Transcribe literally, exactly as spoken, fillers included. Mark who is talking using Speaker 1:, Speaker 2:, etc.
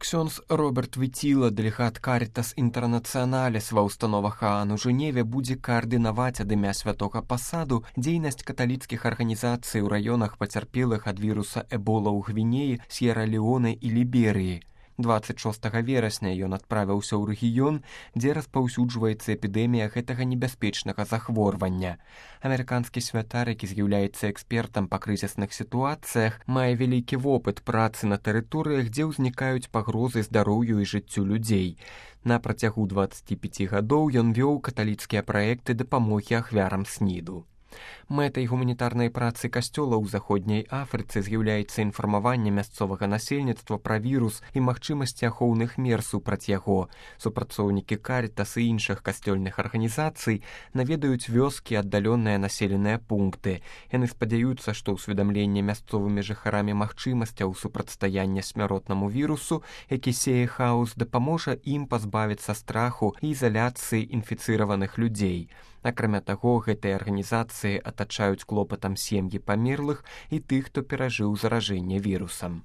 Speaker 1: Ксёндз Роберт Віціла, дэлегат Карітас Інтэрнацыяналіс ва ўстановах ААН у Жэневе, будзе каардынаваць ад імя святога пасаду дзейнасць каталіцкіх арганізацый у раёнах пацярпелых ад віруса Эбола ў Гвінеі, С'ера-Леоне і Ліберыі. дваццаць шостага верасня ён адправіўся ў рэгіён, дзе распаўсюджваецца эпідэмія гэтага небяспечнага захворвання. Амерыканскі святар, які з'яўляецца экспертам па крызісных сітуацыях, мае вялікі вопыт працы на тэрыторыях, дзе ўзнікаюць пагрозы здароўю і жыццю людзей. На працягу дваццаці пяці гадоў ён вёў каталіцкія праекты дапамогі ахвярам сніду. Мэтай гуманітарнай працы касцёла ў заходняй Афрыцы з'яўляецца інфармаванне мясцовага насельніцтва пра вірус і магчымасці ахоўных мер супраць яго. Супрацоўнікі Карітас і іншых касцёльных арганізацый наведаюць вёскі, аддаленыя населеныя пункты. Яны спадзяюцца, што ўсведамленне мясцовымі жыхарамі магчымасцяў супрацьстаяння смяротнаму вірусу, які сее хаос, дапаможа ім пазбавіцца страху і ізаляцыі інфіцыраваных людзей. Акрамя таго, гэтыя арганізацыі атачаюць клопатам сем'і памерлых і тых, хто перажыў заражэнне вірусам.